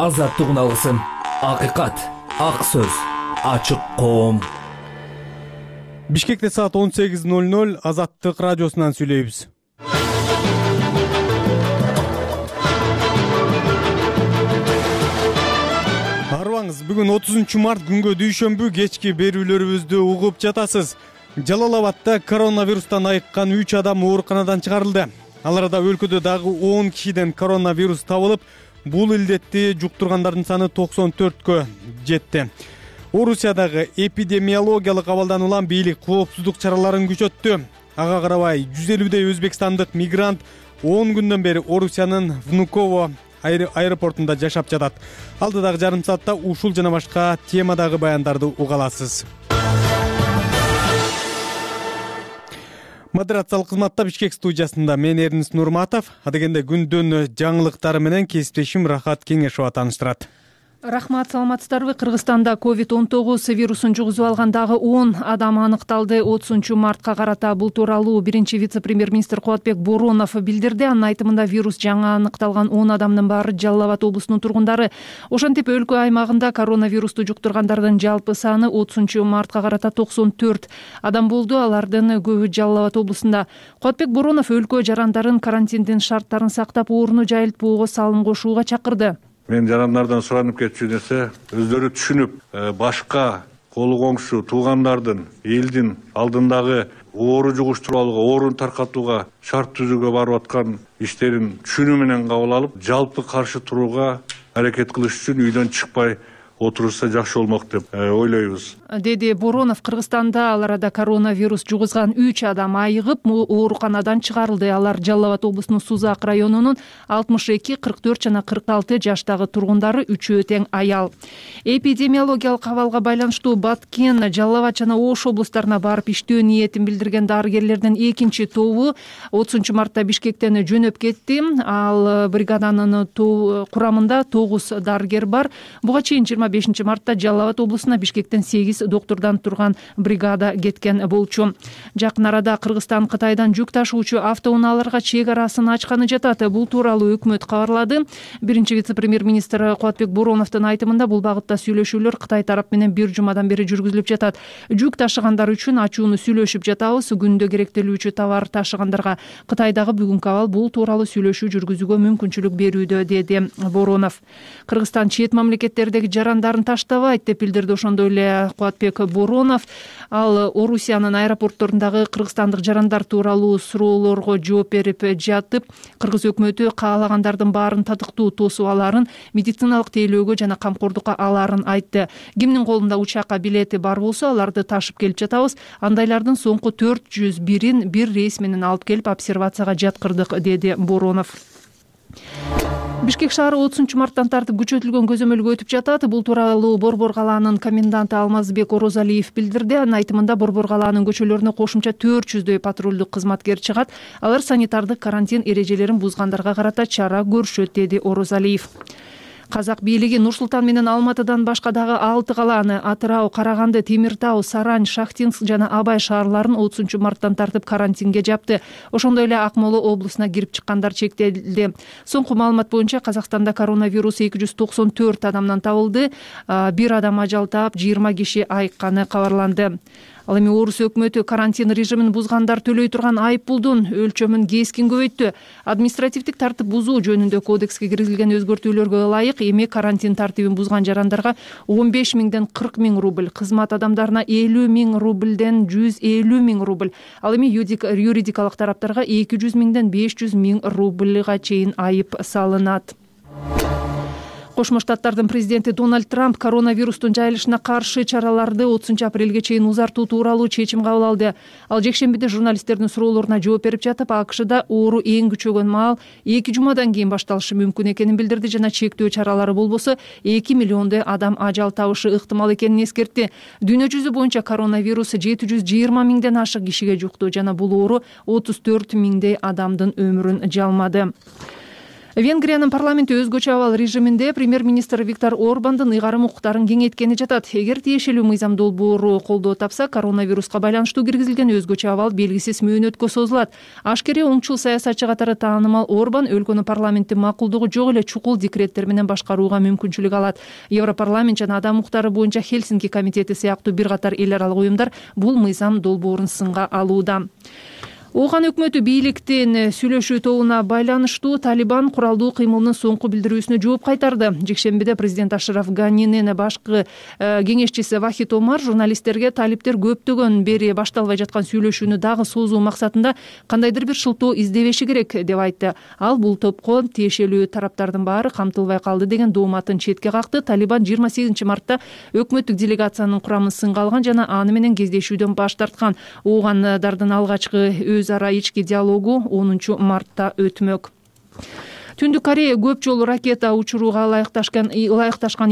азаттык уналысын, акыйкат, ак сөз, ачык коом. Бишкекте саат 18:00 Азаттык радиосунан сүйлөйбүз. Арыбаңыз, бүгүн 30 март күнгө дүйшөмбү кечки берүүлөрүбүздү угуп жатасыз. Жалал-Абадта коронавирустан айыккан 3 адам ооруканадан чыгарылды. Аларда өлкөдө дагы 10 кишиден коронавирус табылып, бул илдетти жуктургандардын саны 94кө жетти. Орусиядагы эпидемиологиялык абалдан улам бийлик коопсуздук чараларын күчөттү. Ага карабай 150дей өзбекстандык мигрант 10 күндөн бери Орусиянын Внуково аэропортунда жашап жатат. Алдыдагы жарым саатта ушул жана башка темадагы баяндарды уга аласыз. Модерациялык кызматта Бишкек студиясында мен Эрнис Нурматов, адегенде күндүн жаңылыктары менен кесиптешим Рахат Кеңешова тааныштырат. Рахмат, саламатсыздарбы? Кыргызстанда COVID-19 вирусун жугузуп алган дагы 10 адам аныкталды. 30 мартка карата бул тууралуу биринчи вице-премьер-министр Кубатбек Боронов билдирди. Анын айтымында вирус жаңы аныкталган 10 адамдын баары Жалал-Абад облусунун тургундары. Ошентип өлкө аймагында коронавирусту жуктургандардын жалпы саны 30 мартка карата 94 адам болду. Алардын көбү Жалал-Абад облусунда. Кубатбек Боронов өлкө жарандарын карантиндин шарттарын сактап, орну жайылтпоого салым кошууга чакырды. Мен жарандардан суранып кетчү нерсе, өздөрү түшүнүп, башка колу коңшу туугандардын элдин алдындагы оору жугуштурууга, ооруну таркатууга шарт түзүүгө барып аткан иштерин түшүнүү менен кабыл алып, жалпы каршы турууга аракет кылыш үчүн үйдөн чыкпай отурса жакшы болмок деп ойлойбуз, деди Боронов. Кыргызстанда ал арада коронавирус жугузган 3 адам айыгып, ооруканадан чыгарылды. Алар Жалал-Абад облусунун Сузак районунун 62, 44 жана 46 жаштагы тургундары, үчөө тең аял. Эпидемиологиялык абалга байланыштуу Баткен, Жалал-Абад жана Ош облустарына барып иштөө ниетин билдирген дарыгерлердин экинчи тобу 30 мартта Бишкектен жөнөп кетти. Ал бригаданын курамында 9 дарыгер бар. Буга чейин 25 мартта Жалал-Абад облусуна Бишкектен 8 доктурдан турган бригада кеткен болчу. Жакын арада Кыргызстан Кытайдан жүк ташуучу автоунааларга чек арасын ачканы жатат. Бул тууралуу өкмөт кабарлады. Биринчи вице-премьер-министр Кубатбек Бороновдун айтымында бул багытта сүйлөшүүлөр Кытай тарап менен бир жумадан бери жүргүзүлүп жатат. Жүк ташыгандар үчүн ачууну сүйлөшүп жатабыз. Күндө керектелүүчү товар ташыгандарга Кытайдагы бүгүнкү абал бул тууралуу сүйлөшүү жүргүзүүгө мүмкүнчүлүк берүүдө, деди Боронов. Кыргызстан чет мамлекеттердеги жарандарын таштабайт деп билдирди. Ошондой эле Кубатбек Боронов ал Орусиянын аэропортторундагы кыргызстандык жарандар тууралуу суроолорго жооп берип жатып, кыргыз өкмөтү каалагандардын баарын татыктуу тосуп аларын, медициналык тейлөөгө жана камкордукка аларын айтты. Кимдин колунда учакка билети бар болсо, аларды ташып келип жатабыз. Андайлардын соңку 401-ин бир рейс менен алып келип обсервацияга жаткырдык, деди Боронов. Бишкек шаары 30 марттан тартып күчөтүлгөн көзөмөлгө өтүп жатат. Бул тууралуу Борбор калаанын коменданты Алмазбек Орозалиев билдирди. Анын айтымында Борбор калаанын көчөлөрүнө кошумча 400дөй патрулдук кызматкер чыгат. Алар санитардык карантин эрежелерин бузгандарга карата чара көрүшөт, деди Орозалиев. Казак бийлиги Нур-Султан менен Алматыдан башка дагы 6 калааны Атырау, Караганды, Темир Тау, Сарань, Шахтинск жана Абай шаарларын 30 марттан тартып карантинге жапты. Ошондой эле Акмола облусуна кирип чыккандар чектелди. Соңку маалымат боюнча Казакстанда коронавирус 294 адамдан табылды. Бир адам ажал таап, 20 киши айыкканы кабарланды. Ал эми Орус өкмөтү карантин режимин бузгандар төлөй турган айып пулдун өлчөмүн кескин көбөйттү. Административдик тартип бузуу жөнүндө кодекске киргизилген өзгөртүүлөргө ылайык эми карантин тартибин бузган жарандарга 15 миңден 40 миң рубль, кызмат адамдарына 50 миң рубльден 150 миң рубль, ал эми юридикалык тараптарга 200 миңден 500 миң рубльга чейин айып салынат. Кошмо Штаттардын президенти Дональд Трамп коронавирустун жайылышына каршы чараларды 30 апрелге чейин узартуу тууралуу чечим кабыл алды. Ал жекшембиде журналисттердин суроолоруна жооп берип жатып, АКШда оору эң күчөгөн маал 2 жумадан кийин башталышы мүмкүн экенин билдирди жана чектөө чаралары болбосо 2 миллиондой адам ажал табышы ыктымал экенин эскертти. Дүйнө жүзү боюнча коронавирус 720 миңден ашык кишиге жукту жана бул оору 34 миңдей адамдын өмүрүн жалмады. Венгриянын парламенти өзгөчө абал режиминде премьер-министр Виктор Орбандын ыйгарым укуктарын кеңейткени жатат. Эгер тиешелүү мыйзам долбоору колдоо тапса, коронавируска байланыштуу киргизилген өзгөчө абал белгисиз мөөнөткө созулат. Ашкере оңчул саясатчы катары таанымал Орбан өлкөнү парламенттин макулдугу жок эле чукул декреттер менен башкарууга мүмкүнчүлүк алат. Европарламент жана адам укуктары боюнча Хельсинки комитети сыяктуу бир катар эл аралык уюмдар бул мыйзам долбоорун сынга алууда. Ооган өкмөтү бийликтин сүйлөшүү тобуна байланыштуу Талибан куралдуу кыймылынын соңку билдирүүсүнө жооп кайтарды. Жекшембиде президент Ашраф Ганинин башкы кеңешчиси Вахид Омар журналисттерге талиптер көптөгөн бери башталбай жаткан сүйлөшүүнү дагы соозуу максатында кандайдыр бир шылтоо издебеши керек деп айтты. Ал бул топко тиешелүү тараптардын баары камтылбай калды деген дооматын четке какты. Талибан 28 мартта өкмөттүк делегациянын курамын сынга алган жана аны менен кездешүүдөн баш тарткан. Оогандардын алгачкы өз ара ички диалогу 10 мартта өтмөк. Түндүк Корея көп жолу ракета учурууга ылайыкташкан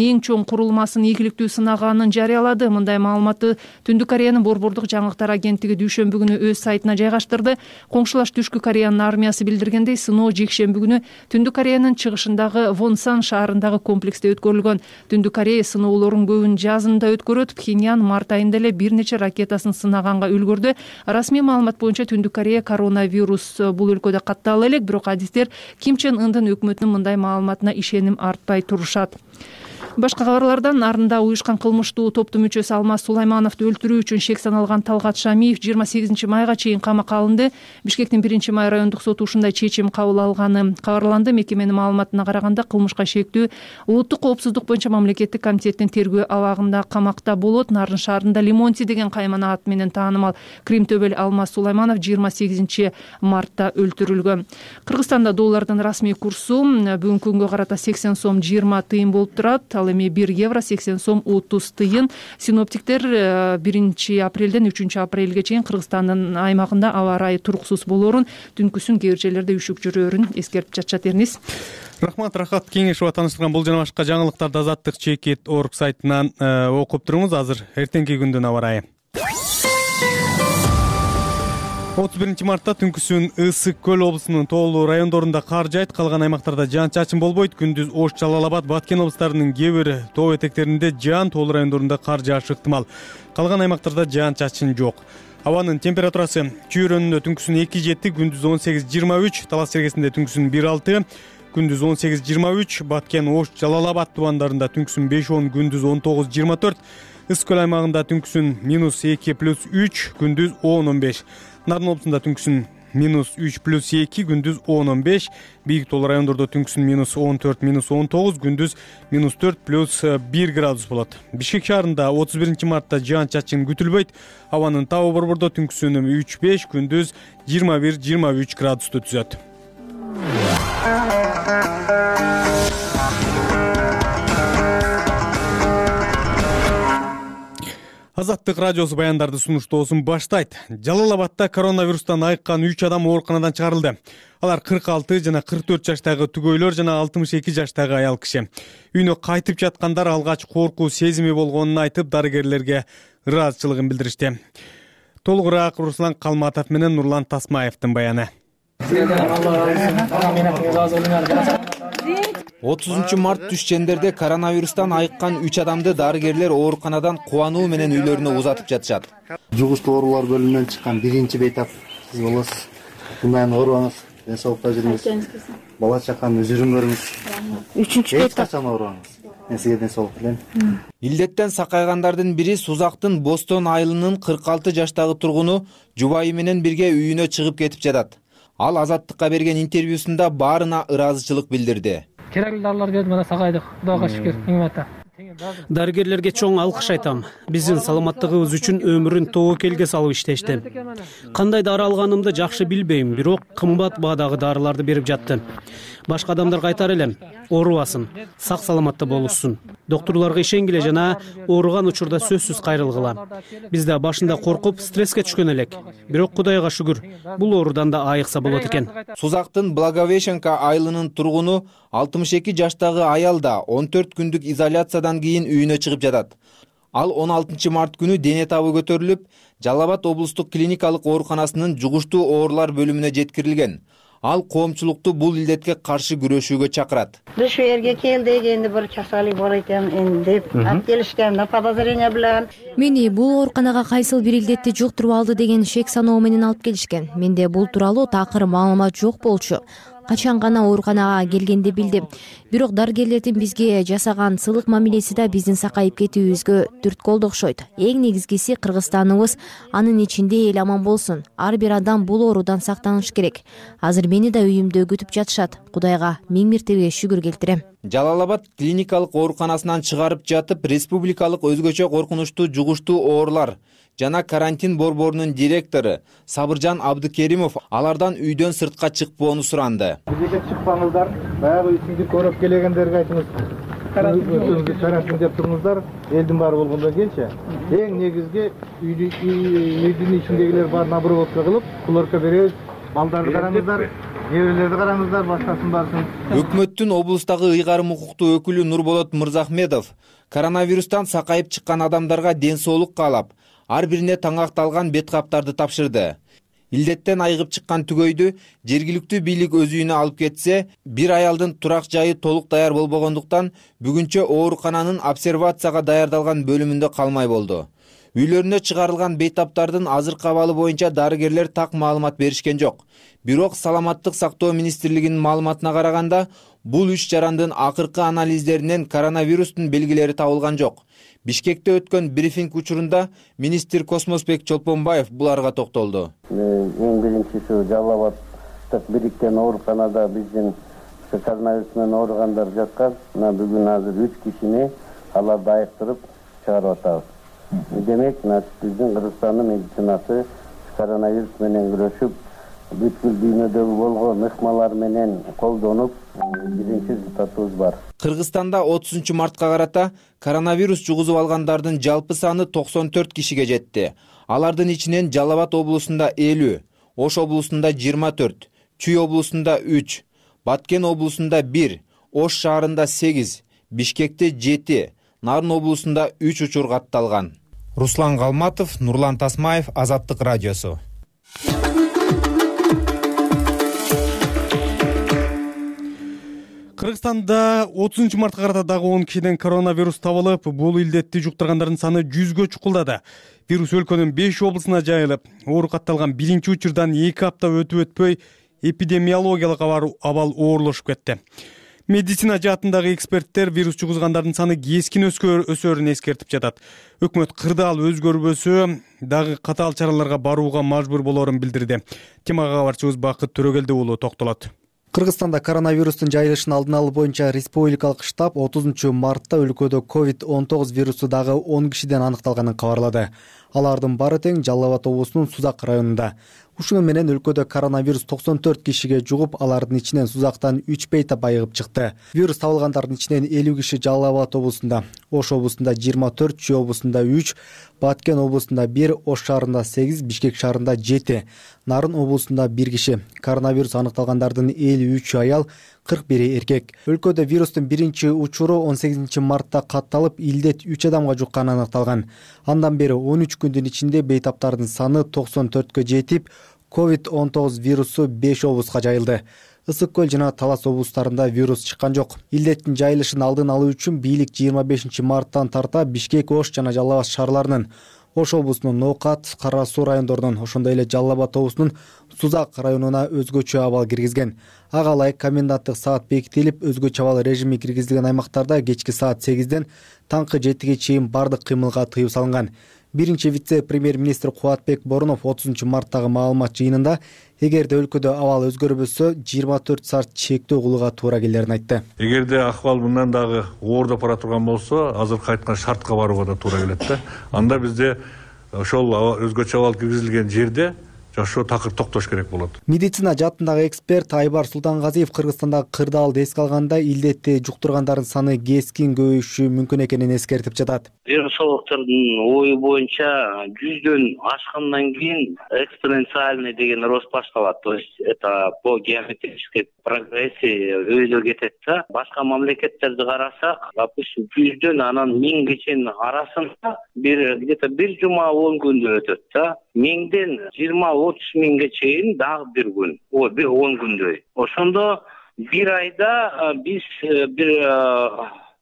эң чоң курулмасын ийгиликтүү сынаганын жарыялады. Мындай маалыматты Түндүк Кореянын борбордук жаңылыктар агенттиги дүйшөмбү күнү өз сайтына жайгаштырды. Коңшулаш Түшкү Кореянын армиясы билдиргендей, сыноо жекшемби күнү Түндүк Кореянын чыгышындагы Вонсан шаарындагы комплексте өткөрүлгөн. Түндүк Корея сыноолорун көбүн жазында өткөрөт. Пхеньян март айында эле бир нече ракетасын сынаганга үлгүрдү. Расмий маалымат боюнча Түндүк Корея коронавирус бул өлкөдө каттала элек, бирок адистер Ким Чен Ындын өкмөтүнүн мындай маалыматына ишеним артпай турушат. Башка кабарлардан Нарында уюшкан кылмыштуу топтун мүчөсү Алмаз Сулаймановду өлтүрүү үчүн шек саналган Талгат Шамиев 28 майга чейин камакка алынды. Бишкектин 1 май райондук соту ушундай чечим кабыл алганы кабарланды. Мекеменин маалыматына караганда кылмышка шектүү улуттук коопсуздук боюнча мамлекеттик комитеттин тергөө абагында камакта болот. Нарын шаарында Лимонти деген каймана аты менен таанымал Крим төбөл Алмаз Сулайманов 28 мартта өлтүрүлгөн. Кыргызстанда доллардын расмий курсу бүгүнкү күнгө карата 80 сом 20 тыйын болуп турат. Ал эми 1 евро 80 сом 30 тыйын. Синоптиктер 1 апрелден 3 апрелге чейин Кыргызстандын аймагында аба ырайы туруксуз болоорун, түнкүсүн кээ бир жерлерде үшүк жүрөөрүн эскертип жатышат. Эрнис. Рахмат, Рахат Кеңешова таныштырган бул жана башка жаңылыктарды Азаттык.org сайтынан окуп туруңуз. Азыр эртеңки күндүн аба ырайы. 31 мартта түнкүсүн Ысык Көл облусунун тоолуу райондорунда кар жаайт, калган аймактарда жаан-чачын болбойт. Күндүз Ош, Жалал Абад, Баткен облустарынын кээ бир тоо этектеринде жаан, тоолуу райондорунда кар жаашы ыктымал. Калган аймактарда жаан-чачын жок. Абанын температурасы Чүйрөнүндө түнкүсүн 2 жетти, күндүз 18-23, Талас Сергесинде түнкүсүн 1-6, күндүз 18-23, Баткен, Ош, Жалал Абад тубандарында түнкүсүн 5-10, күндүз 19-24, Ысык Көл аймагында түнкүсүн -2+3, күндүз 10-15. Нарын облусунда түнкүсүн -3+2, күндүз 10-15, бийик тоолуу райондордо түнкүсүн -14, -19, күндүз -4+1 градус болот. Бишкек шаарында 31 мартта жаан-чачын күтүлбөйт. Абанын табы борбордо түнкүсүн 3-5, күндүз 21-23 градусту түзөт. Азаттык радиосу баяндарды сунуштоосун баштайт. Жалал Абадта коронавирустан айыккан 3 адам ооруканадан чыгарылды. Алар 46 жана 44 жаштагы түгөйлөр жана 62 жаштагы аял киши. Үйүнө кайтып жаткандар алгач коркуу сезими болгонун айтып, дарыгерлерге ыраазычылыгын билдиришти. Толугураак Руслан Калматов менен Нурлан Тасмаевдин баяны. 30 март түш чендерде коронавирустан айыккан 3 адамды дарыгерлер ооруканадан кубануу менен үйлөрүнө узатып жатышат. Жугуштуу оорулар бөлүмүнөн чыккан биринчи бейтап сиз болосуз. Мындай оорубаңыз, ден соолукта жүрүңүз. Бала чаканы üzүрүн көрүңүз. 3-чү бейтап качан оорубаңыз. Мен сизге ден соолук тилейм. Илдеттен сакайгандардын бири Сузактын Бостон айылынын 46 жаштагы тургуну жубайы менен бирге үйүнө чыгып кетип жатат. Ал Азаттыкка берген интервьюсунда баарына ыраазычылык билдирди. Керектүү дарылар келди, мына сагайдык. Кудайга шүгүр, нимата. Дарыгерлерге чоң алкыш айтам. Биздин саламаттыгыбыз үчүн өмүрүн тобокелге салып иштешти. Кандай дары алганымды жакшы билбейм, бирок кымбат баадагы дарыларды берип жатты. Башка адамдарга айтар элем, оорубасын, сак саламатта болушсун. Доктурларга ишенгиле жана ооруган учурда сөзсүз кайрылгыла. Биз да башында коркуп, стресске түшкөн элек. Бирок Кудайга шүгүр, бул оорудан да айыкса болот экен. Сузактын Благовещенка айылынын тургуну 62 жаштагы аял да 14 күндүк изоляциядан кийин үйүнө чыгып жатат. Ал 16 март күнү дене табы көтөрүлүп, Жалал Абад облустук клиникалык ооруканасынын жугуштуу оорулар бөлүмүнө жеткирилген. Ал коомчулукту бул илдетке каршы күрөшүүгө чакырат. Шу жерге келдик, энди бир часалык бар экен, энди деп алып келишкен, подозрение билген. Мени бул ооруканага кайсыл бир илдетти жуктуруп алды деген шек саноо менен алып келишкен. Менде бул тууралуу такыр маалымат жок болчу. Качан гана ооруканага келгенде билдим. Бирок дарыгерлердин бизге жасаган сылык мамилеси да биздин сакайып кетүүбүзгө түрткү окшойт. Эң негизгиси Кыргызстаныбыз, анын ичинде эл аман болсун. Ар бир адам бул оорудан сактаныш керек. Азыр мени да үйүмдө күтүп жатышат. Кудайга миң мертебе шүгүр келтирем. Жалал-Абад клиникалык ооруканасынан чыгарып жатып, республикалык өзгөчө коркунучтуу жугуштуу оорулар жана карантин борборунун директору Сабыржан Абдыкеримов алардан үйдөн сыртка чыкпоону суранды. Бизге чыкпаңыздар, баягы үйсүңдү көрөп келгендерге айтыңыз. Карантин деп туруңуздар, элдин баары болгондон кийинчи. Эң негизги үйдүн ичиндегилер баарын обработка кылып, кулорка беребиз. Балдарды караңыздар, неберелерди караңыздар, башкасын барсын. Өкмөттүн облустагы ыйгарым укуктуу өкүлү Нурболот Мырзахметов коронавирустан сакайып чыккан адамдарга ден соолук каалап, ар бирине таңакталган бет каптарды тапшырды. Илдеттен айыгып чыккан түгөйдү жергиликтүү бийлик өз үйүнө алып кетсе, бир аялдын турак жайы толук даяр болбогондуктан бүгүнчө оорукананын обсервацияга даярдалган бөлүмүндө калмай болду. Үйлөрүнө чыгарылган бейтаптардын азыркы абалы боюнча дарыгерлер так маалымат беришкен жок. Бирок Саламаттык сактоо министрлигинин маалыматына караганда, бул 3 жарандын акыркы анализдеринен коронавирустун белгилери табылган жок. Бишкекте өткөн брифинг учурунда министр Космосбек Чолпонбаев буларга токтолду. Эң биринчиси Жалал-Абадтык бириктен ооруканада биздин коронавирус менен ооругандар жаткан. Бүгүн азыр 3 кишини аларды айыктырып чыгарып атабыз. Демек, биздин Кыргызстандын медицинасы коронавирус менен күрөшүп, бүткүл дүйнөдөгү болгон ыкмалар менен колдонуп, биринчи результатыбыз бар. Кыргызстанда 30 мартка карата коронавирус жугузуп алгандардын жалпы саны 94 кишиге жетти. Алардын ичинен Жалал-Абад облусунда 50, Ош облусунда 24, Чүй облусунда 3, Баткен облусунда 1, Ош шаарында 8, Бишкекте 7, Нарын облусунда 3 учур катталган. Руслан Галматов, Нурлан Тасмаев, Азаттык радиосу. Кыргызстанда 30 мартка карата дагы 10 кишиден коронавирус табылып, бул илдетти жуктургандардын саны 100гө чукулдады. Вирус өлкөнүн 5 облусуна жайылып, оору катталган биринчи учурдан 2 апта өтүп өтпөй эпидемиологиялык абал оорлошуп кетти. Медицина жаатындагы эксперттер вирус жугузгандардын саны кескин өсөөрүн эскертип жатат. Өкмөт кырдаал өзгөрбөсө дагы катаал чараларга барууга мажбур болоорун билдирди. Темага кабарчыбыз Бакыт Төрөгелди уулу токтолот. Кыргызстанда коронавирустун жайылышын алдын алуу боюнча республикалык штаб 30 мартта өлкөдө COVID-19 вирусу дагы 10 кишиден аныкталганын кабарлады. Алардын баары тең Жалал-Абад облусунун Сузак районунда. Ушуну менен өлкөдө коронавирус 94 кишиге жугуп, алардын ичинен Сузактан 3 бейтап айыгып чыкты. Вирус табылгандардын ичинен 50 киши Жалал-Абад облусунда, Ош облусунда 24, Чүй облусунда 3, Баткен облусунда 1, Ош шаарында 8, Бишкек шаарында 7, Нарын облусунда 1 киши. Коронавирус аныкталгандардын 53 аял, 41 эркек. Өлкөдө вирустун биринчи учуру 18 мартта катталып, илдет 3 адамга жукканы аныкталган. Андан бери 13 күндүн ичинде бейтаптардын саны 94кө жетип, COVID-19 вирусу 5 облуска жайылды. Ысык көл жана Талас облустарында вирус чыккан жок. Илдеттин жайылышын алдын алуу үчүн бийлик 25 марттан тарта Бишкек, Ош жана Жалал-Абад шаарларынын, Ош облусунун Ноокат, Кара Суу райондорунун, ошондой эле Жалал-Абад облусунун Сузак районуна өзгөчө абал киргизген. Ага ылайык коменданттык саат бекитилип, өзгөчө абал режими киргизилген аймактарда кечки саат 8ден таңкы 7ге чейин бардык кыймылга тыюу салынган. Биринчи вице-премьер-министр Кубатбек Борунов 30 марттагы маалымат жыйынында эгерде өлкөдө абал өзгөрбөсө 24 саат чектөө кылууга туура келерин айтты. Эгерде акыбал мындан дагы оордоп бара турган болсо, азыркы айткан шартка барууга да туура келет да. Анда бизде ошол өзгөчө абал киргизилген жерде жашоо такыр токтош керек болот. Медицина жаатындагы эксперт Айбар Султангазиев Кыргызстандагы кырдаалды эске алганда илдетти жуктургандардын саны кескин көбөйүшү мүмкүн экенин эскертип жатат. Вирусологдордун ою боюнча 100дөн ашкандан кийин экспоненциальный деген рост башталат. То есть это по геометрической прогрессии өйдө кетет да. Башка мамлекеттерди карасак, допустим, 100дөн анан 1000 чейин арасында где-то 1 жума 10 күндө өтөт да. миңден 20-30 миңге чейин дагы бир күн, бир 10 күндөй. Ошондо бир айда биз бир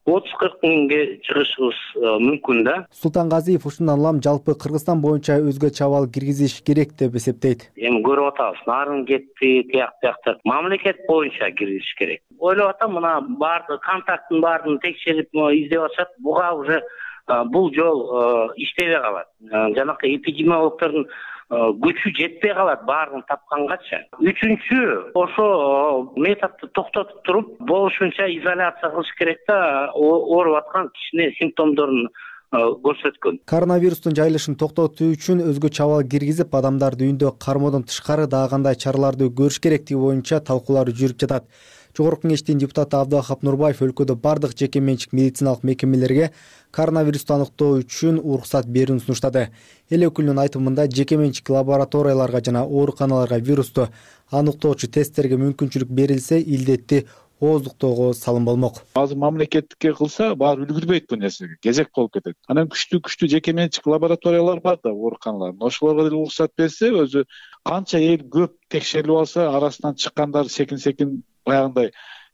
30-40 миңге чыгышыбыз мүмкүн да. Султангазиев ушундан улам жалпы Кыргызстан боюнча өзгө чабал киргизиш керек деп эсептейт. Эми көрүп атабыз, нарын кетти, тияк мамлекет боюнча киргизиш керек. Ойлоп атам, мына баардык контакттын баарын текшерип издеп атышат. Буга уже бул жол иштебей калат. Жанакы эпидемиологдордун күчү жетпей калат баарын тапкангачы. Үчүнчү, ошо методду токтотуп туруп, болушунча изоляция кылыш керек да, ооруп аткан кишинин симптомдорун көрсөткөн. Коронавирустун жайылышын токтотуу үчүн өзгө чабал киргизип, адамдарды үйүндө кармоодон тышкары дагы кандай чараларды көрүш керектиги боюнча талкуулар жүрүп жатат. Жогорку Кеңештин депутаты Абдыахап Нурбаев өлкөдө бардык жеке менчик медициналык мекемелерге коронавирусту аныктоо үчүн уруксат берүүнү сунуштады. Эл өкүлүнүн айтымында жеке менчик лабораторияларга жана ооруканаларга вирусту аныктоочу тесттерге мүмкүнчүлүк берилсе, илдетти ооздуктоого салым болмок. Азыр мамлекетке кылса, баары үлгүрбөйт бул нерсеге, кезек болуп кетет. Анан күчтүү жеке менчик лабораториялар бар да, ооруканалар. Ошолорго деле уруксат берсе, өзү канча эл көп текшерилип алса, арасынан чыккандар секин баягындай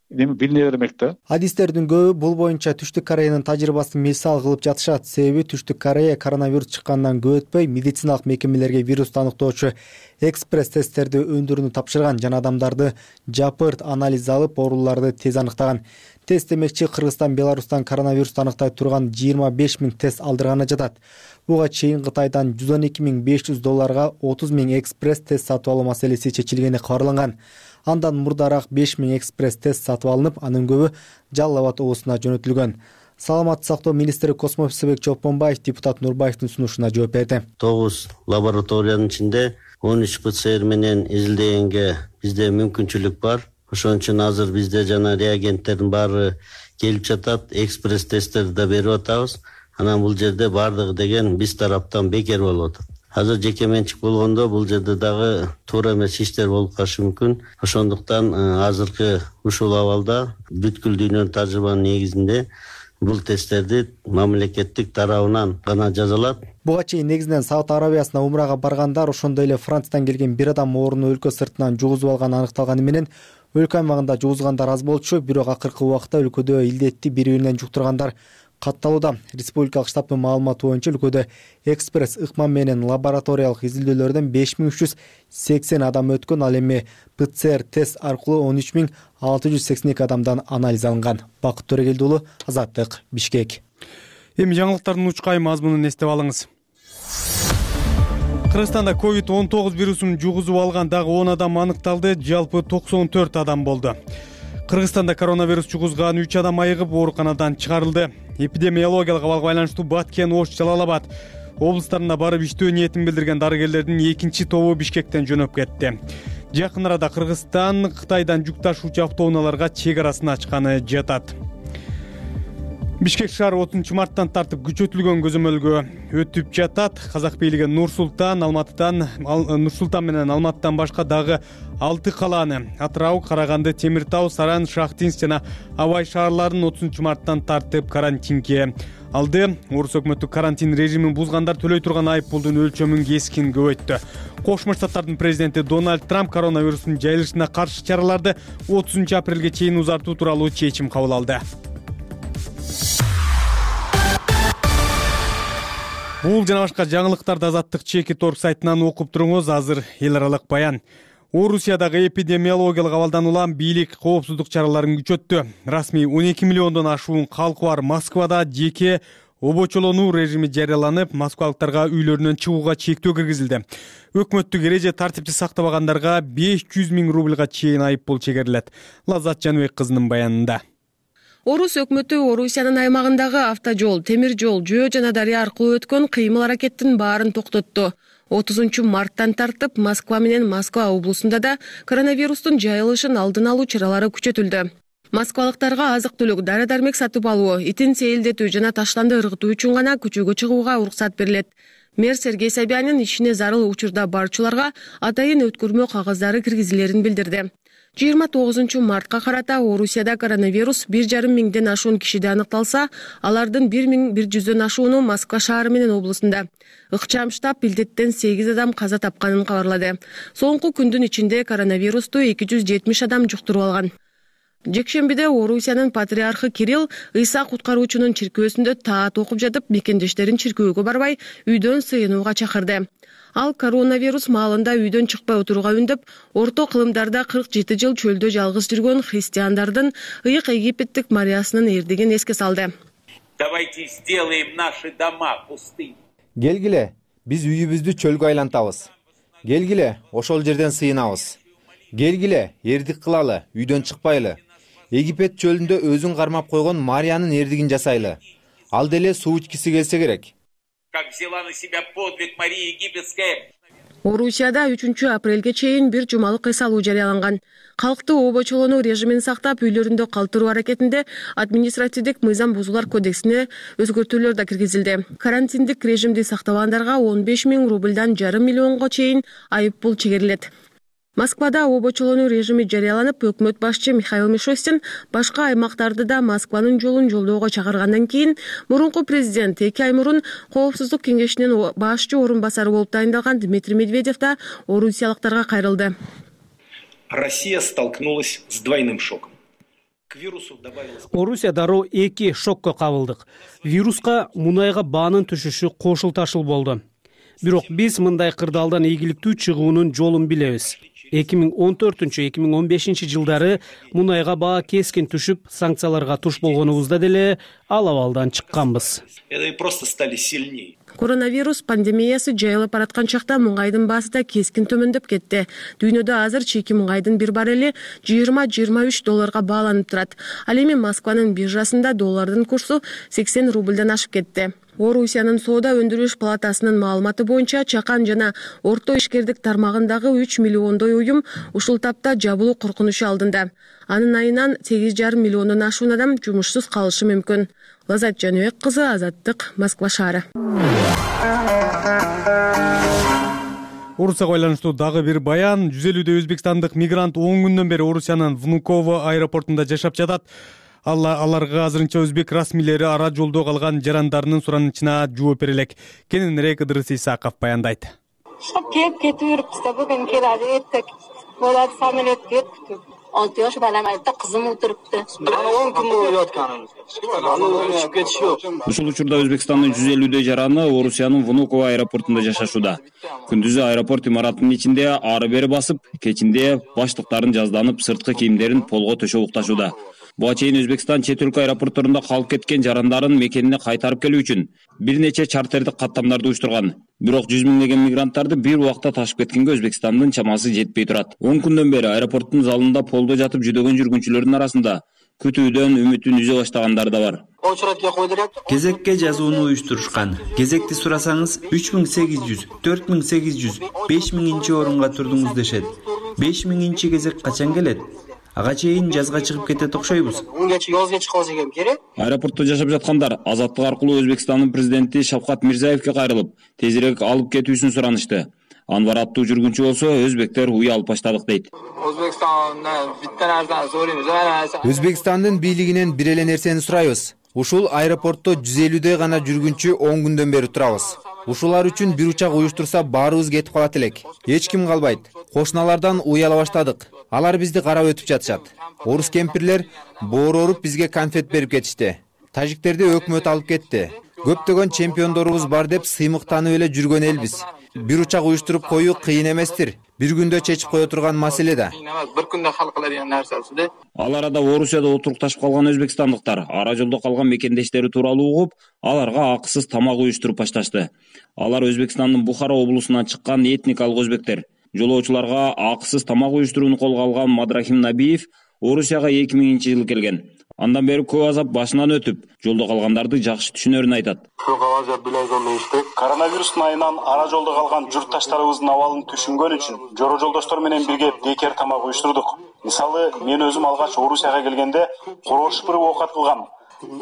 билине бермек да. Адистердин көбү бул боюнча Түштүк Кореянын тажрыйбасын мисал кылып жатышат. Себеби Түштүк Корея коронавирус чыккандан көп өтпөй медициналык мекемелерге вирусту аныктоочу экспресс тесттерди өндүрүүнү тапшырган жана адамдарды жапырт анализ алып, ооруларды тез аныктаган. Тест демекчи Кыргызстан Беларустан коронавирусту аныктай турган 25 000 тест алдырганы жатат. Буга чейин Кытайдан $112.500 30 000 экспресс тест сатып алуу маселеси чечилгени кабарланган. Андан мурдараак 5 000 экспресс тест сатып алынып, анын көбү Жалал Абад облусуна жөнөтүлгөн. Саламаттык сактоо министри Космосбек Чолпонбаев депутат Нурбаевдин сунушуна жооп берди. 9 лабораториянын ичинде 13 ПЦР менен изилдегенге бизде мүмкүнчүлүк бар. Ошон үчүн азыр бизде жана реагенттердин баары келип жатат, экспресс тесттерди да берип атабыз. Анан бул жерде баардыгы деген биз тараптан бекер болуп атат. Азыр жеке менчик болгондо бул жерде дагы туура эмес иштер болуп калышы мүмкүн. Ошондуктан азыркы ушул абалда бүткүл дүйнөнүн тажрыйбанын негизинде бул тесттерди мамлекеттик тарабынан гана жазалат. Буга чейин негизинен Сауд Арабиясына умрага баргандар, ошондой эле Франциядан келген бир адам ооруну өлкө сыртынан жугузуп алганы аныкталганы менен өлкө аймагында жугузгандар аз болчу, бирок акыркы убакта өлкөдө илдетти бири-биринен жуктургандар катталууда. Республикалык штабтын маалыматы боюнча өлкөдө экспресс ыкма менен лабораториялык изилдөөлөрдөн 5380 адам өткөн, ал эми ПЦР тест аркылуу 13682 адамдан анализ алынган. Бакыт Төрөгелди уулу, Азаттык, Бишкек. Эми жаңылыктардын учкай мазмунун эстеп алыңыз. Кыргызстанда COVID-19 вирусун жугузуп алган дагы 10 адам аныкталды, жалпы 94 адам болду. Кыргызстанда коронавирус жугузган 3 адам айыгып ооруканадан чыгарылды. Эпидемиологиялык абалга байланыштуу Баткен, Ош, Жалал Абад облустарына барып иштөө ниетин билдирген дарыгерлердин экинчи тобу Бишкектен жөнөп кетти. Жакын арада Кыргызстан Кытайдан жүк ташуучу автоунааларга чек арасын ачканы жатат. Бишкек шаары 30 марттан тартып күчөтүлгөн көзөмөлгө өтүп жатат. Казак бийлиги Нур Султан менен Алматыдан башка дагы 6 калааны Атырау, Караганды, Темир Тау, Саран, Шахтинск жана Абай шаарларын 30 марттан тартып карантинге алды. Орус өкмөтү карантин режимин бузгандар төлөй турган айып пулдун өлчөмүн кескин көбөйттү. Кошмо Штаттардын президенти Дональд Трамп коронавирустун жайылышына каршы чараларды 30 апрелге чейин узартуу тууралуу чечим кабыл алды. Бул жана башка жаңылыктарды Азаттык Чекит.орг сайтынан окуп туруңуз. Азыр эл аралык баян. Орусиядагы эпидемиологиялык абалдан улам бийлик коопсуздук чараларын күчөттү. Расмий 12 миллиондон ашуун калкы бар Москвада жеке обочолонуу режими жарыяланып, москвалыктарга үйлөрүнөн чыгууга чектөө киргизилди. Өкмөттүк эреже тартипти сактабагандарга 500 000 рубльга чейин айып пул чегерилет. Лаззат Жаныбек кызынын баянында. Орус өкмөтү Орусиянын аймагындагы автожол, темир жол, жөө жана дарыя аркылуу өткөн кыймыл аракеттин баарын токтотту. 30 марттан тартып Москва менен Москва облусунда да коронавирустун жайылышын алдын алуу чаралары күчөтүлдү. Москвалыктарга азык-түлүк, дары-дармек сатып алуу, итин сейилдетүү жана таштанды ыргытуу үчүн гана көчөгө чыгууга уруксат берилет. Мэр Сергей Собянин ишине зарыл учурда барчуларга атайын өткөрмө кагаздары киргизилерин билдирди. 29 мартка карата Орусияда коронавирус 1,5 миңден ашуун кишиде аныкталса, алардын 1100дөн ашууну Москва шаары менен облусунда. Ыкчам штаб илдеттен 8 адам каза тапканын кабарлады. Соңку күндүн ичинде коронавирусту 270 адам жуктуруп алган. Жекшембиде Орусиянын патриархы Кирилл Ыйса куткаруучунун чиркөөсүндө таат окуп жатып, мекендештерин чиркөөгө барбай, үйдөн сыйынууга чакырды. Ал коронавирус маалында үйдөн чыкпай отурууга үндөп, орто кылымдарда 47 жыл чөлдө жалгыз жүргөн христиандардын ыйык египеттик Мариясынын эрдигин эске салды. Давайте сделаем наши дома пустыми. Келгиле, биз үйүбүздү чөлгө айлантабыз. Келгиле, ошол жерден сыйынабыз. Келгиле, эрдик кылалы, үйдөн чыкпайлы. Египет чөлүндө өзүн кармап койгон Мариянын эрдигин жасайлы. Ал деле суу ичкиси келсе керек. Как взяла на себя подвиг Мария Египетская. Орусияда 3 апрелге чейин бир жумалык эс алуу жарыяланган. Калкты обочолонуу режимин сактап, үйлөрүндө калтыруу аракетинде административдик мыйзам бузуулар кодексине өзгөртүүлөр да киргизилди. Карантиндик режимди сактабагандарга 15 000 рубльдан 5,5 миллионго чейин айып пул чегерилет. Москвада обочолонуу режими жарыяланып, өкмөт башчы Михаил Мишустин башка аймактарды да Москванын жолун жолдоого чакыргандан кийин мурунку президент 2 ай мурун Коопсуздук кеңешинин башчы орун басары болуп тайындалган Дмитрий Медведев да орусиялыктарга кайрылды. Россия столкнулась с двойным шоком. Орусия дароо 2 шокко кабылдык. Вируска мунайга баанын түшүшү кошул-ташыл болду. Бирок биз мындай кырдаалдан ийгиликтүү чыгуунун жолун билебиз. 2014-2015 жылдары мунайга баа кескин түшүп, санкцияларга туш болгонубузда деле ал абалдан чыкканбыз. Просто стали сильнее. Коронавирус пандемиясы жайылып бараткан чакта муңайдын баасы да кескин төмөндөп кетти. Дүйнөдө азыр чийки муңайдын бир баррели $20-23 бааланып турат. Ал эми Москванын биржасында доллардын курсу 80 рубльдан ашып кетти. Орусиянын соода өндүрүш палатасынын маалыматы боюнча чакан жана орто ишкердик тармагындагы 3 миллиондой уюм ушул тапта жабылуу коркунучу алдында. Анын айынан 8,5 миллиондон ашуун адам жумушсуз калышы мүмкүн. Лазат Жаныбек кызы, Азаттык, Москва шаары. Орусияга байланыштуу дагы бир баян. 150 өзбекстандык мигрант 10 күндөн бери Орусиянын Внуково аэропортунда жашап жатат. Аларга азырынча өзбек расмийлери ара жолдо калган жарандарынын суранычына жооп бере элек. Кененирээк Ыдырыс Исаков баяндайт. Келип кетип жүрүпбүз да, бүгүн келadi, эртек болот, самолет кетти. 6 yosh balam aytdi, qizim o'tiribdi. 10 kun bo'lib yotganimiz. Uchib ketish yo'q. Ушул учурда Өзбекстандын 150 жараны Орусиянын Внуково аэропортунда жашашууда. Күндүзү аэропорт имаратынын ичинде ары бери басып, кечинде баштыктарын жазданып, сырткы кийимдерин полго төшөп укташууда. Буга чейин Өзбекстан чет өлкө аэропортторунда калып кеткен жарандарын мекенине кайтарып келүү үчүн бир нече чартердик каттамдарды уюштурган. Бирок 100 миңдеген мигранттарды бир убакта ташып кеткенге Өзбекстандын чамасы жетпей турат. 10 күндөн бери аэропорттун залында полдо жатып жүдөгөн жүргүнчүлөрдүн арасында күтүүдөн үмүтүн үзө баштагандар да бар. Кезекке жазууну уюштурушкан. Кезекти сурасаңыз 3800, 4800, 5000 орунга турдуңуз дешет. 5000 кезек качан келет? Ага чейин жазга чыгып кетет окшойбуз. Унгача жазга чыгып алса экен керек. Аэропортто жашап жаткандар Азаттык аркылуу Өзбекстандын президенти Шавкат Мирзиевке кайрылып, тезирээк алып кетүүсүн суранышты. Анвар аттуу жүргүнчү болсо, өзбектер уй алып баштадык дейт. Өзбекстандын бийлигинен бир эле нерсени сурайбыз. Ушул аэропортто 150 гана жүргүнчү 10 күндөн бери турабыз. Ушулар үчүн бир учак уюштурса баарыбыз кетип калат элек. Эч ким калбайт. Кошуналардан уй ала баштадык. Алар бизди карап өтүп жатышат. Орус кемпирлер бооруп бизге конфет берип кетишти. Тажиктерди өкмөт алып кетти. Көптөгөн чемпиондорубуз бар деп сыймыктанып эле жүргөн элбиз. Бир учак уюштуруп коюу кыйын эместир. Бир күндө чечип кое турган маселе да. Бир күндө хал кылар нерсеси. Ал арада Орусияда отурукташып калган өзбекстандыктар ара жолдо калган мекендештери тууралуу угуп, аларга акысыз тамак уюштуруп башташты. Алар Өзбекстандын Бухара облусунан чыккан этникалык өзбектер. Жолоочуларга акысыз тамак уюштурууну колго алган Мадрахим Набиев Орусияга 2000-жылы келген. Андан бери көп азап башынан өтүп, жолдо калгандарды жакшы түшүнөрүн айтат. Коронавирустун айынан ара жолдо калган журтташтарыбыздын абалын түшүнгөн үчүн жоро жолдоштор менен бирге бекер тамак уюштурдук. Мисалы, мен өзүм алгач Орусияга келгенде корош бир оокат кылгам.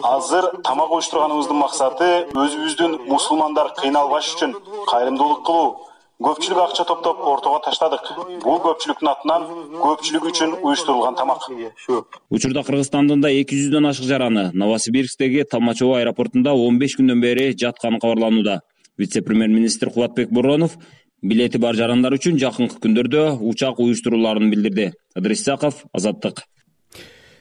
Азыр тамак уюштурганыбыздын максаты өзүбүздүн мусулмандар кыйналбаш үчүн кайрымдуулук кылуу. көпчүлүк акча топтоп ортого таштадык. Бул көпчүлүктүн атынан көпчүлүк үчүн уюштурулган тамак. Учурда Кыргызстандын да 200дөн ашык жараны Новосибирсктеги Толмачево аэропортунда 15 күндөн бери жатканы кабарланууда. Вице-премьер-министр Кубатбек Боронов билети бар жарандар үчүн жакынкы күндөрдө учак уюштуруларын билдирди. Ыдырыс Исаков, Азаттык.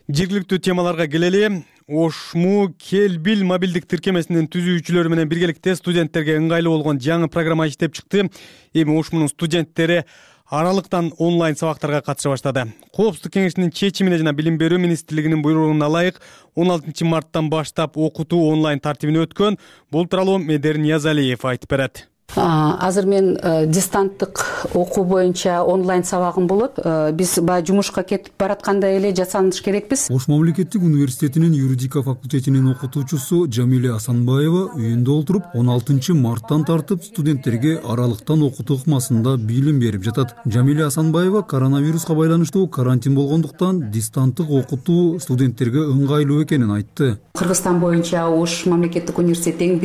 Жергиликтүү темаларга келели. Ошму Кел бил мобилдик тиркемесинин түзүүчүлөрү менен биргеликте студенттерге ыңгайлуу болгон жаңы программа иштеп чыкты. Эми Ошмунун студенттери аралыктан онлайн сабактарга катыша баштады. Коопсуздук кеңешинин чечимине жана Билим берүү министрлигинин буйругуна ылайык 16 марттан баштап окутуу онлайн тартибине өткөн. Бул тууралуу Медер Ниязалиев айтып берет. Азыр мен дистанттык окуу боюнча онлайн сабагым болот. Биз баягы жумушка кетип баратканда эле жасаныш керекпиз. Ош мамлекеттик университетинин юридика факультетинин окутуучусу Жамиля Асанбаева үйүндө отуруп 16 марттан тартып студенттерге аралыктан окутуу ыкмасында билим берип жатат. Жамиля Асанбаева коронавируска байланыштуу карантин болгондуктан дистанттык окутуу студенттерге ыңгайлуу экенин айтты. Кыргызстан боюнча Ош мамлекеттик университети эң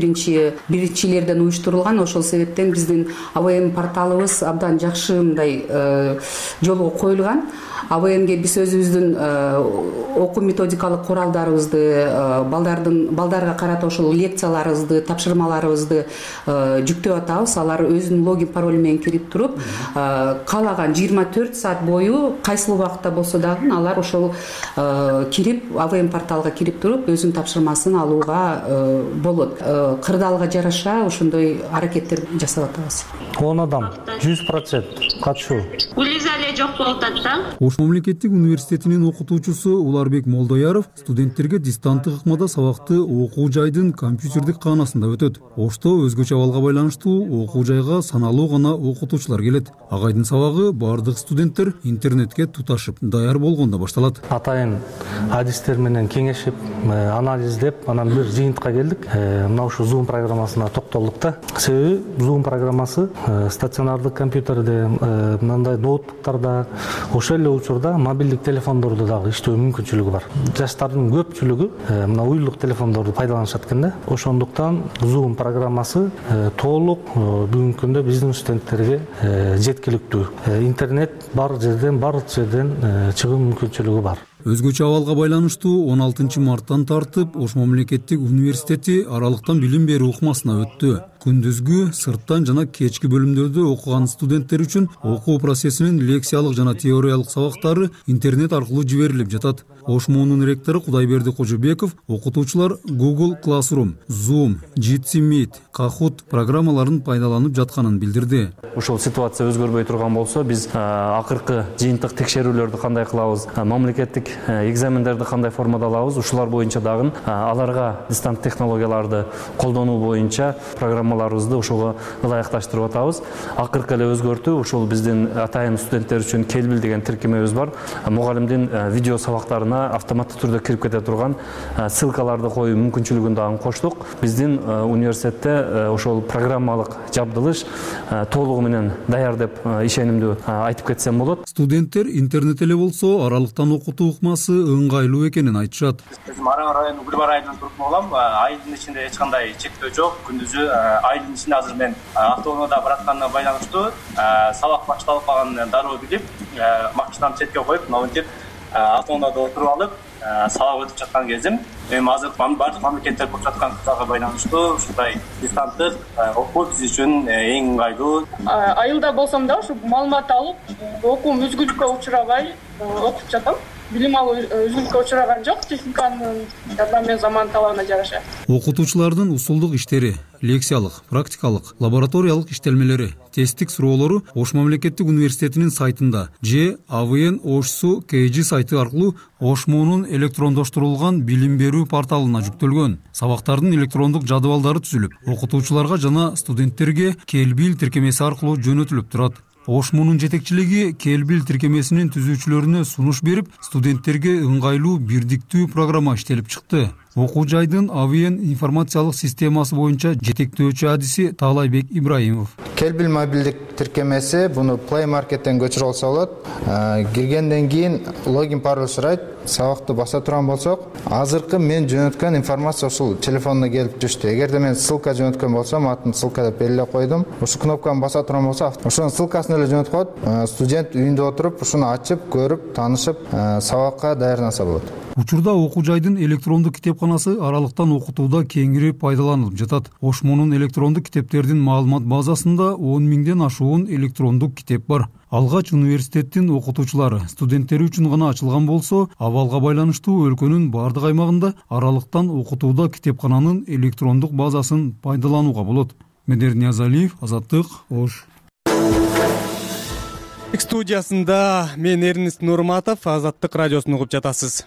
биринчилерден уюштурулган. Ошол себептен биздин АВН порталыбыз абдан жакшы мындай жолго коюлган. АВНге биз өзүбүздүн окуу методикалык куралдарыбызды, балдарга карата ошол лекцияларыбызды, тапшырмаларыбызды жүктөп атабыз. Алар өзүнүн логин паролу менен кирип туруп, каалаган 24 саат бою кайсыл убакытта болсо дагы алар ошол кирип, АВН порталга кирип туруп өзүнүн тапшырмасын алууга болот. Кырдаалга жараша ошондой аракеттер жасап атабыз. 10 адам 100% катышуу. Улизале жок болуп атат. Ош мамлекеттик университетинин окутуучусу Уларбек Молдояров студенттерге дистанттык ыкмада сабакты окуу жайдын компьютердик каанасында өтөт. Ошто өзгөчө абалга байланыштуу окуу жайга саналуу гана окутуучулар келет. Агайдын сабагы бардык студенттер интернетке туташып даяр болгондо башталат. Атайын адистер менен кеңешип, анализдеп, анан бир жыйынтыкка келдик. Мына ушу Zoom программасына токтолдук да. Себеби Zoom программасы стационардык компьютерде, мындай ноутбуктарда, ошол эле учурда мобилдик телефондордо дагы иштөө мүмкүнчүлүгү бар. Жаштардын көпчүлүгү мына уюлдук телефондорду пайдаланышат экен да. Ошондуктан Zoom программасы толук бүгүнкү күндө биздин студенттерге жеткиликтүү. Интернет бардык жерден чыгуу мүмкүнчүлүгү бар. Өзгөчө абалга байланыштуу 16 марттан тартып Ош мамлекеттик университети аралыктан билим берүү ыкмасына өттү. Күндүзгү, сырттан жана кечки бөлүмдөрдө окуган студенттер үчүн окуу процессинин лекциялык жана теориялык сабактары интернет аркылуу жиберилип жатат. Ош муунун ректору Кудайберди Кожобеков окутуучулар Google Classroom, Zoom, Jitsi Meet, Kahoot программаларын пайдаланып жатканын билдирди. Ошол ситуация өзгөрбөй турган болсо, биз акыркы жыйынтык текшерүүлөрдү кандай кылабыз, мамлекеттик экзамендерди кандай формада алабыз, ушулар боюнча дагы аларга дистант технологияларды колдонуу боюнча программаларыбызды ошого ылайыкташтырып атабыз. Акыркы эле өзгөртүү ушул биздин атайын студенттер үчүн Келбил деген тиркемебиз бар. Мугалимдин видео сабактарына автоматтык түрдө кирип кете турган ссылкаларды коюу мүмкүнчүлүгүн дагы коштук. Биздин университетте ошол программалык жабдылыш толугу менен даяр деп ишенимдүү айтып кетсем болот. Студенттер интернет эле болсо аралыктан окутуу ыкмасы ыңгайлуу экенин айтышат. Өзүм Аран районунун Гүлбар айылынан туруп болом. Айылдын ичинде эч кандай чектөө жок. Күндүзү айылдын ичинде азыр мен автоунаада баратканына байланыштуу сабак башталып калганын дароо билип, машинамды четке коюп, мынтип автоунаада отуруп алып, сабак өтүп жаткан кезим. Эми азыр бардык мамлекеттер болуп жаткандыгына байланыштуу ушундай дистанттык окуу биз үчүн эң ыңгайлуу. Айылда болсом да ушу маалымат алып, окуум үзгүлүккө учурабай окуп жатам. Билим алуу үзгүлүккө учураган жок, техниканын жардамы заман талабына жараша. Окутуучулардын усулдук иштери, лекциялык, практикалык, лабораториялык иштелмелери, тесттик суроолору Ош мамлекеттик университетинин сайтында же АВН Ошсу КЖ сайты аркылуу Ош муунун электрондоштурулган билим берүү порталына жүктөлгөн. Сабактардын электрондук жадыбалдары түзүлүп, окутуучуларга жана студенттерге Келбил тиркемеси аркылуу жөнөтүлүп турат. Ош муунун жетекчилиги Келбил тиркемесинин түзүүчүлөрүнө сунуш берип, студенттерге ыңгайлуу бирдиктүү программа иштелип чыкты. Окуу жайдын АВН информациялык системасы боюнча жетектөөчү адиси Таалайбек Ибраимов. Келбил мобилдик тиркемеси, буну Play Market'тен көчүрүп алса болот. Киргенден кийин логин пароль сурайт. Сабакты баса турган болсок, азыркы мен жөнөткөн информация ушул телефонуна келип түштү. Эгерде мен ссылка жөнөткөн болсом, атын ссылка деп белгилеп койдум. Ушу кнопканы баса турган болсо, ошонун ссылкасын эле жөнөтүп коет. Студент үйүндө отуруп, ушуну ачып, көрүп, таанышып, сабакка даярданса болот. Учурда окуу жайдын электрондук китепканасы аралыктан окутууда кеңири пайдаланылып жатат. Ошмонун электрондук китептердин маалымат базасында 10 000ден ашуун электрондук китеп бар. Алгач университеттин окутуучулары студенттери үчүн гана ачылган болсо, абалга байланыштуу өлкөнүн бардык аймагында аралыктан окутууда китепкананын электрондук базасын пайдаланууга болот. Медер Ниязалиев, Азаттык, Ош. Студиясында мен Эрнест Нурматов, Азаттык радиосун угуп жатасыз.